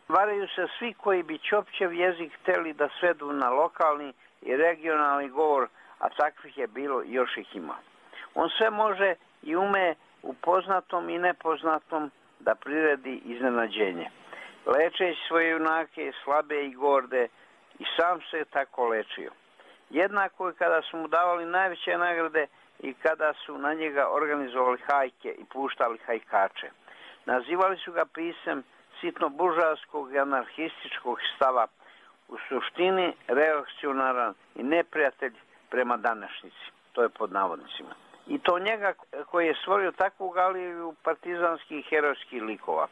Speaker 4: varaju se svi koji bi Ćopćev jezik hteli da svedu na lokalni i regionalni govor, a takvih je bilo i još ih ima. On sve može i ume u poznatom i nepoznatom da priredi iznenađenje. Lečeći svoje junake, slabe i gorde, i sam se tako lečio. Jednako je kada su mu davali najveće nagrade i kada su na njega organizovali hajke i puštali hajkače. Nazivali su ga pisem sitno-buržavskog i anarhističkog stava, u suštini reakcionaran i neprijatelj prema današnjici. To je pod navodnicima. I to njega koji je stvorio takvu galeriju partizanskih i herojskih likova.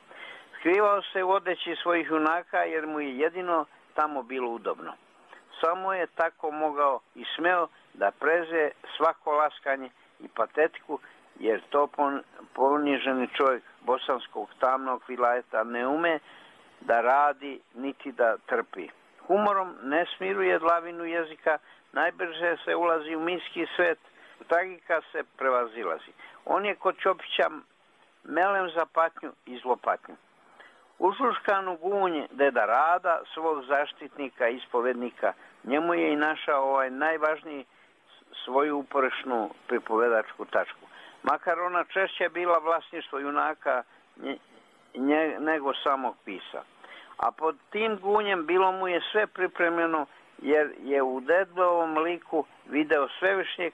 Speaker 4: Skrivao se u odeći svojih junaka jer mu je jedino tamo bilo udobno. Samo je tako mogao i smeo da preze svako laskanje i patetiku, jer to poniženi čovjek bosanskog tamnog vilajeta ne ume da radi niti da trpi. Humorom ne smiruje dlavinu jezika, najbrže se ulazi u mitski svet, tragika se prevazilazi. On je kod Ćopića melem za patnju i zlopatnju. Ušuškanu gunje deda Rada, svog zaštitnika i ispovednika, njemu je i našao najvažniji svoju uporišnu pripovedačku tačku. Makar ona češće bila vlasništvo junaka nego samog pisa. A pod tim gunjem bilo mu je sve pripremljeno, jer je u dedovom liku video svevišnjeg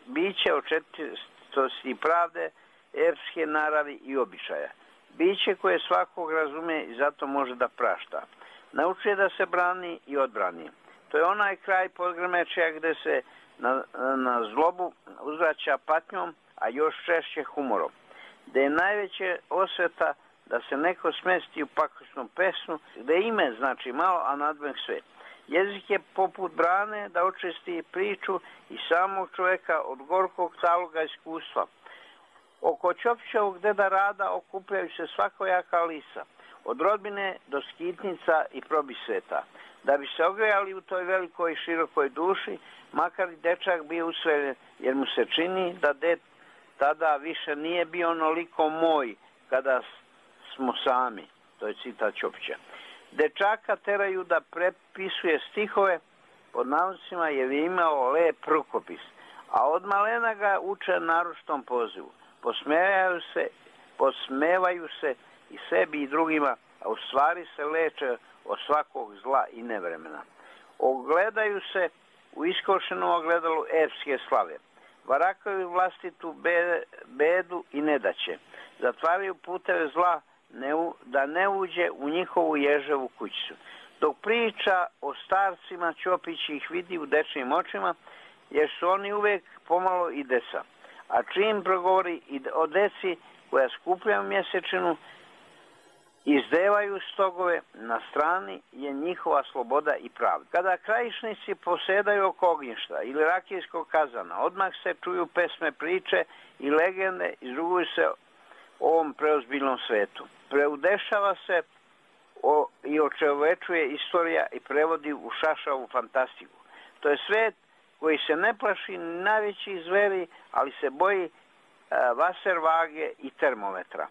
Speaker 4: biće očestitosti i pravde, epske naravi i običaja. Biće koje svakog razume i zato može da prašta. Naučuje da se brani i odbrani. To je onaj kraj podgrmečja gde se na zlobu uzvraća patnjom, a još češće humorom. Gde je najveće osveta da se neko smesti u pakosnu pesmu, gde ime znači malo, a nadmeh sve. Jezik je poput brane da očisti priču i samog čoveka od gorkog taloga iskustva. Oko Ćopićevog deda Rada okupljaju se svakojaka lisa, od rodbine do skitnica i probisveta. Da bi se ogrejali u toj velikoj i širokoj duši, makar i dečak bio usveljen, jer mu se čini da ded tada više nije bio onoliko moj kada smo sami. To je citat Ćopića. Dečaka teraju da prepisuje stihove, pod navodnicima je imao lep rukopis, a od malena ga uče naročitom pozivu. Posmevaju se i sebi i drugima, a u stvari se leče od svakog zla i nevremena. Ogledaju se u iskošenom ogledalu epske slave. Varakaju vlastitu bedu i nedaće. Zatvaraju puteve zla da ne uđe u njihovu ježevu kućicu. Dok priča o starcima, Ćopić ih vidi u dečijim očima, jer su oni uvek pomalo i deca. A čim progovori i o deci koja skupljaju mjesečinu, izdevaju stogove, na strani je njihova sloboda i pravda. Kada krajišnici posedaju oko ognjišta ili rakijskog kazana, odmah se čuju pesme, priče i legende, izruguju se ovom preozbiljnom svetu. Preudešava se i očovečuje istorija i prevodi u šašavu fantastiku. To je svet koji se ne plaši najvećih zveri, ali se boji vaservage i termometra.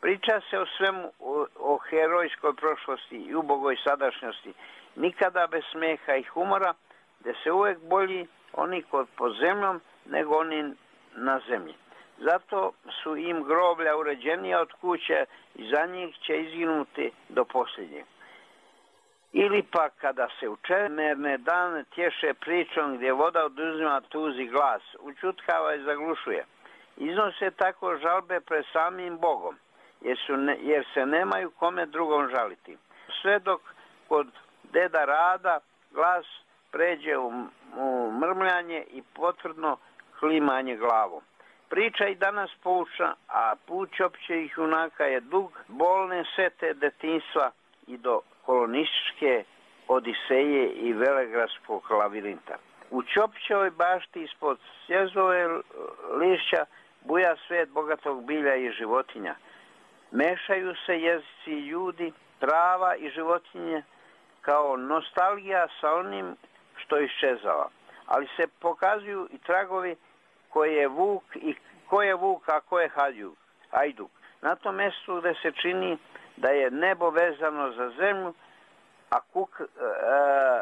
Speaker 4: Priča se o svemu, o herojskoj prošlosti i ubogoj sadašnjosti, nikada bez smeha i humora, gde se uvek bolji oni pod zemljom nego oni na zemlji. Zato su im groblja uređenija od kuće i za njih će izginuti do posljednjeg. Ili pa kada se u čemerne dane tješe pričom gdje voda oduzima tuzi glas, učutkava i zaglušuje. Iznose tako žalbe pred samim Bogom, jer se nemaju kome drugom žaliti. Sve dok kod deda Rada glas pređe u mrmljanje i potvrdno klimanje glavom. Priča i danas poučna, a put Ćopićevih junaka je dug, bolne sete detinjstva i do kolonističke odiseje i velegradskog lavirinta. U Ćopićevoj bašti ispod sjezove lišća buja svet bogatog bilja i životinja. Mešaju se jezici i ljudi, trava i životinje kao nostalgija sa onim što iščezava. Ali se pokazuju i tragovi ko je vuk, a ko je hajduk. Na tom mjestu gde se čini da je nebo vezano za zemlju,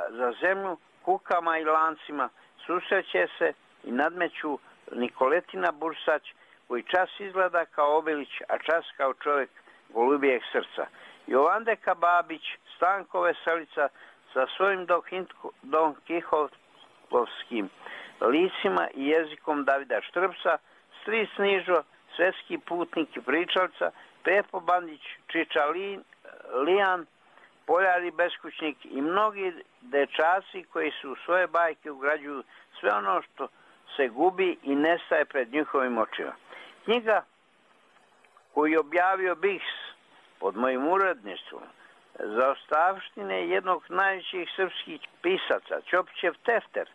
Speaker 4: za zemlju kukama i lancima susreće se i nadmeću Nikoletina Bursać, koji čas izgleda kao Obilić, a čas kao čovjek golubijeg srca. Jovandeka Babić, Stanko Veselica sa svojim Don Kihotovskim licima i jezikom Davida Štrbsa, Stric Nižo, svetski putnik i pričalca, Pepo Bandić, Čiča Lijan, Poljari beskućnik i mnogi dečaci koji su u svoje bajke ugrađuju sve ono što se gubi i nestaje pred njihovim očima. Knjiga koju je objavio Biks pod mojim uredništvom za ostavštine jednog najvećih srpskih pisaca, Ćopićev Tefter,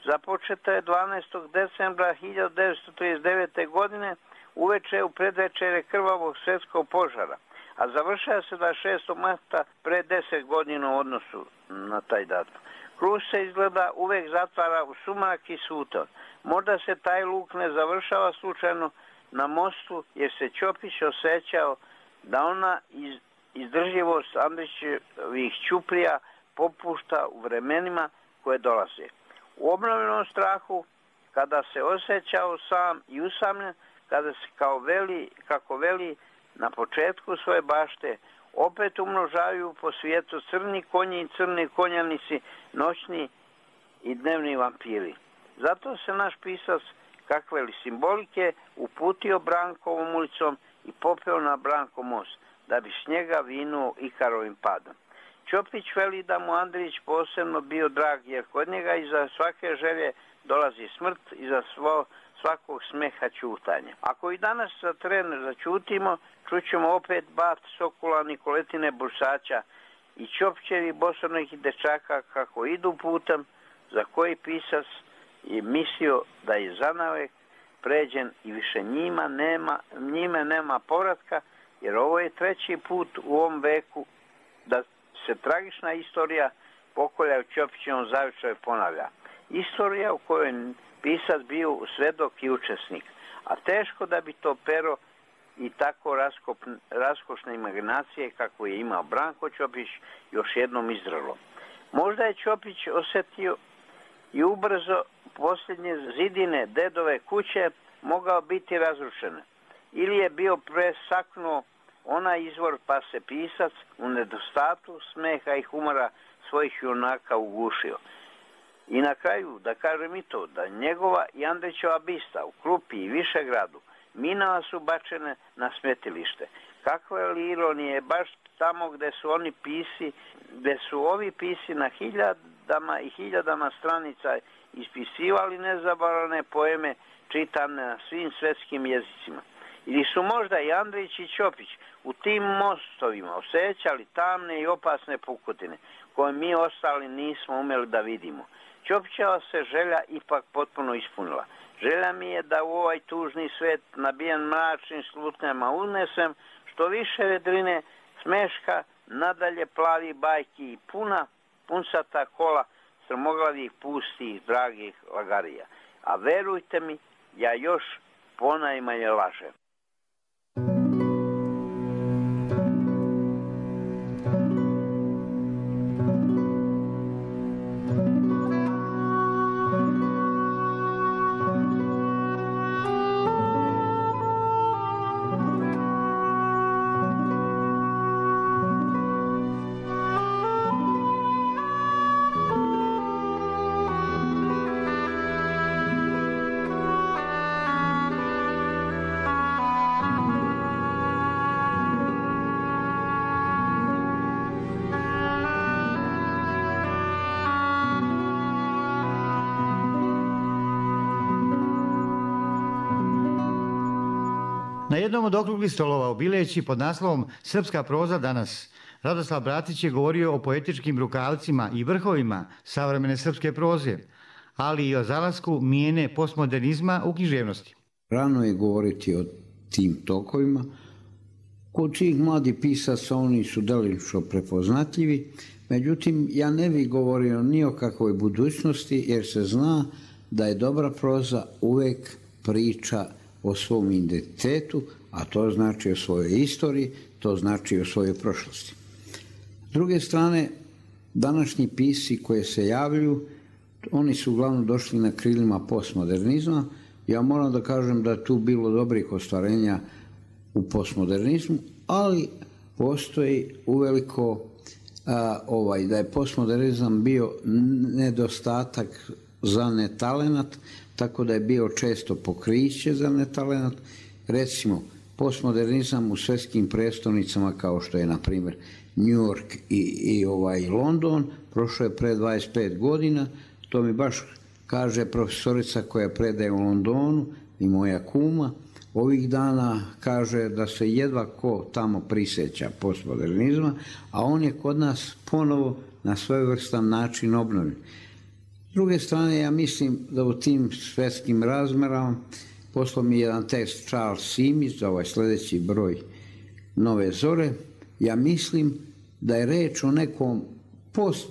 Speaker 4: započeta je 12. decembra 1939. godine uveče u predvečere krvavog svjetskog požara, a završava se 26. marta pre 10 godina u odnosu na taj datum. Krug se izgleda uvek zatvara u sumrak i suton. Možda se taj luk ne završava slučajno na mostu, jer se Ćopić osjećao da ona izdržljivost Andrićevih ćuprija popušta u vremenima koje dolaze. U obnovljenom strahu, kada se osjećao sam i usamljen, kada se kako veli na početku svoje bašte, opet umnožavaju po svijetu crni konji i crni konjanici, noćni i dnevni vampiri. Zato se naš pisac, kakve li simbolike, uputio Brankovom ulicom i popeo na Branko most, da bi s njega vinuo Ikarovim padom. Ćopić veli da mu Andrić posebno bio drag, jer kod njega iza svake želje dolazi smrt, iza svakog smeha ćutanja. Ako i danas za tren začutimo, čućemo opet bat Sokula Nikoletine Bursaća i Ćopićevi bosornih dečaka kako idu putem za koji pisac je mislio da je zanavek pređen i više njime nema povratka, jer ovo je treći put u ovom veku da se tragična istorija pokolja u Ćopićevom zavičaju ponavlja. Istorija u kojoj pisac bio svedok i učesnik, a teško da bi to pero i tako raskošne imaginacije kako je imao Branko Ćopić još jednom izdralo. Možda je Ćopić osjetio i ubrzo posljednje zidine dedove kuće mogao biti razrušene, ili je bio presaknuo onaj izvor, pa se pisac u nedostatu smeha i humora svojih junaka ugušio. I na kraju da kažem i to, da njegova i Andrićeva bista u Krupi i Višegradu minama su bačene na smetilište. Kakve li ironije, baš tamo gde su ovi pisi na hiljadama i hiljadama stranica ispisivali nezaboravne poeme čitane na svim svetskim jezicima. Ili su možda i Andrić i Ćopić u tim mostovima osjećali tamne i opasne pukotine koje mi ostali nismo umeli da vidimo. Ćopićeva se želja ipak potpuno ispunila. Želja mi je da u ovaj tužni svet nabijen mračnim slutnjama unesem što više vedrine, smeška, nadalje plavi bajki i punsata kola strmoglavih, pustih, dragih lagarija. A verujte mi, ja još ponajmanje lažem.
Speaker 2: Na jednom od okruglih stolova u Bileći pod naslovom Srpska proza danas, Radoslav Bratić je govorio o poetičkim rukavcima i vrhovima savremene srpske proze, ali i o zalasku mijene postmodernizma u književnosti.
Speaker 6: Rano je govoriti o tim tokovima. Kod tih mladih pisaca oni su delimično prepoznatljivi, međutim ja ne bih govorio ni o kakvoj budućnosti jer se zna da je dobra proza uvek priča o svom identitetu, a to znači o svojoj istoriji, to znači o svojoj prošlosti. S druge strane, današnji pisci koji se javljaju, oni su uglavnom došli na krilima postmodernizma. Ja moram da kažem da je tu bilo dobrih ostvarenja u postmodernizmu, ali postoji uveliko da je postmodernizam bio nedostatak za netalenat, tako da je bio često pokriće za netalenat. Recimo, postmodernizam u svetskim prestolnicama kao što je, na primjer, New York i London, prošlo je pre 25 godina, to mi baš kaže profesorica koja predaje u Londonu i moja kuma, ovih dana kaže da se jedva ko tamo prisjeća postmodernizma, a on je kod nas ponovo na svojevrstan način obnovljen. S druge strane, ja mislim da u tim svetskim razmerama poslao mi jedan tekst Charles Simić za ovaj sljedeći broj Nove zore. Ja mislim da je reč o nekom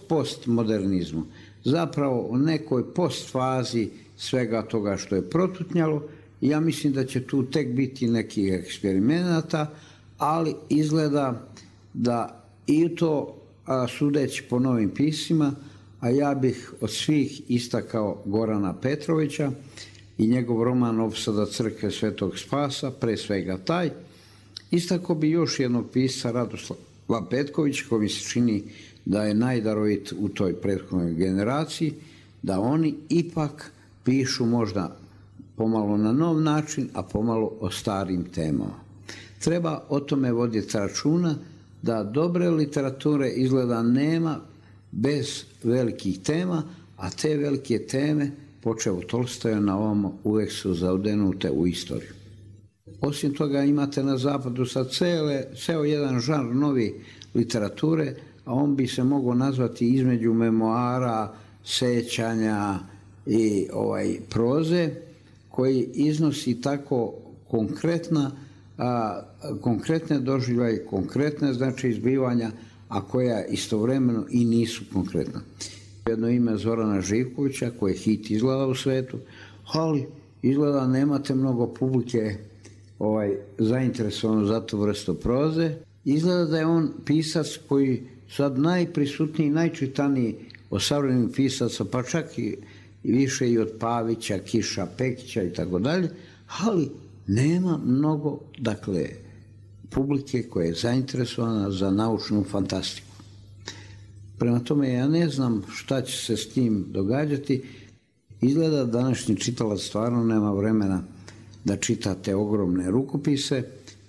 Speaker 6: postmodernizmu, zapravo o nekoj postfazi svega toga što je protutnjalo. Ja mislim da će tu tek biti nekih eksperimenata, ali izgleda da i to, sudeći po novim piscima, a ja bih od svih istakao Gorana Petrovića i njegov roman Opsada crkve Svetog Spasa, pre svega taj. Istakao bi još jednog pisca, Radoslava Petkovića, koji mi se čini da je najdarovit u toj prethodnoj generaciji, da oni ipak pišu možda pomalo na nov način, a pomalo o starim temama. Treba o tome voditi računa da dobre literature izgleda nema bez velikih tema, a te velike teme, počev od Tolstoja na ovamo, uvek su zaudenute u istoriju. Osim toga imate na zapadu sad ceo jedan žanr novi literature, a on bi se mogao nazvati između memoara, sećanja i proze, koji iznosi tako konkretne doživljaje, konkretne znači izbivanja, a koja istovremeno i nisu konkretna. Jedno ime Zorana Živkovića, koji je hit izgleda u svetu, ali izgleda nemate mnogo publike zainteresovano za tu vrstu proze. Izgleda da je on pisac koji sad najprisutniji, najčitaniji od savremenih pisaca, pa čak i više i od Pavića, Kiša, Pekića i tako dalje, ali nema mnogo, dakle, publike koja je zainteresovana za naučnu fantastiku. Prema tome, ja ne znam šta će se s tim događati. Izgleda da današnji čitalac stvarno nema vremena da čita te ogromne rukopise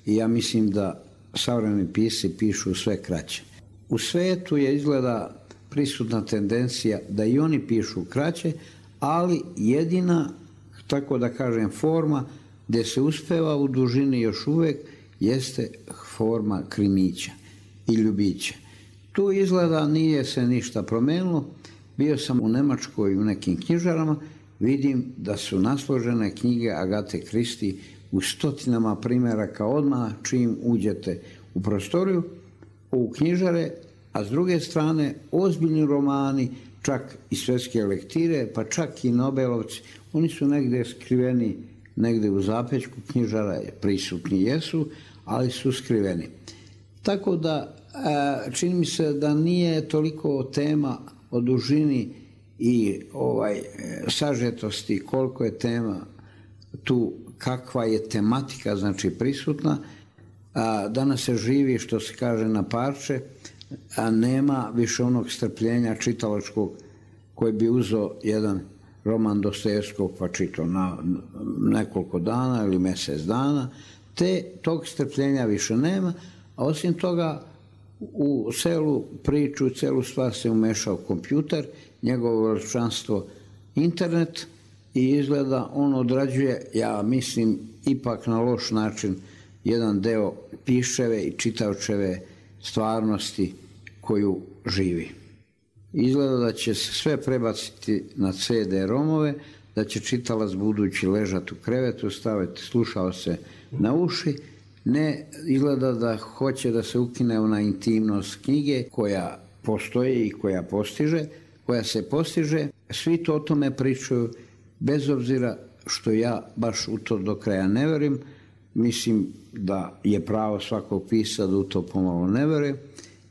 Speaker 6: i ja mislim da savremeni pisci pišu sve kraće. U svetu je izgleda prisutna tendencija da i oni pišu kraće, ali jedina, tako da kažem, forma gdje se uspeva u dužini još uvek jeste forma krimića i ljubića. Tu izgleda nije se ništa promenilo. Bio sam u Nemačkoj u nekim knjižarama, vidim da su nasložene knjige Agate Kristi u stotinama primjeraka odmah čim uđete u prostoriju, u knjižare, a s druge strane ozbiljni romani, čak i svetske lektire, pa čak i Nobelovci, oni su negdje skriveni, negdje u zapećku knjižara, prisutni jesu, ali su skriveni. Tako da čini mi se da nije toliko tema o dužini i sažetosti, koliko je tema tu, kakva je tematika, znači prisutna. Danas se živi, što se kaže, na parče, a nema više onog strpljenja čitalačkog koji bi uzeo jedan roman Dostojevskog pa čitao na nekoliko dana ili mjesec dana. Tog strpljenja više nema, a osim toga u celu priču, celu stvar se umešao kompjuter, njegovo veličanstvo internet i izgleda on odrađuje, ja mislim, ipak na loš način jedan deo piševe i čitaočeve stvarnosti koju živi. Izgleda da će se sve prebaciti na CD-romove, da će čitalac budući ležati u krevetu, staviti slušaoce na uši. Ne, izgleda da hoće da se ukine ona intimnost knjige koja postoji i koja se postiže. Svi to o tome pričaju, bez obzira što ja baš u to do kraja ne verujem. Mislim da je pravo svakog pisa da u to pomalo ne veruje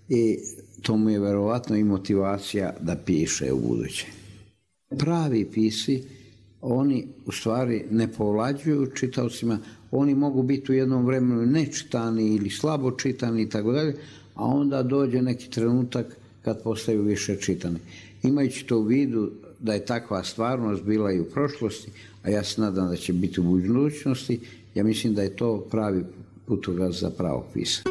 Speaker 6: i to mu je verovatno i motivacija da piše u buduće. Pravi pisci, oni u stvari ne povlađuju čitaocima, oni mogu biti u jednom vremenu nečitani ili slabo čitani i tako dalje, a onda dođe neki trenutak kad postaju više čitani. Imajući to u vidu da je takva stvarnost bila i u prošlosti, a ja se nadam da će biti u budućnosti, ja mislim da je to pravi putokaz za pravog pisa.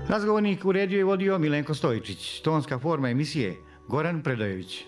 Speaker 2: Razgovornik uredio i vodio Milenko Stojičić, tonska forma emisije Goran Predojević.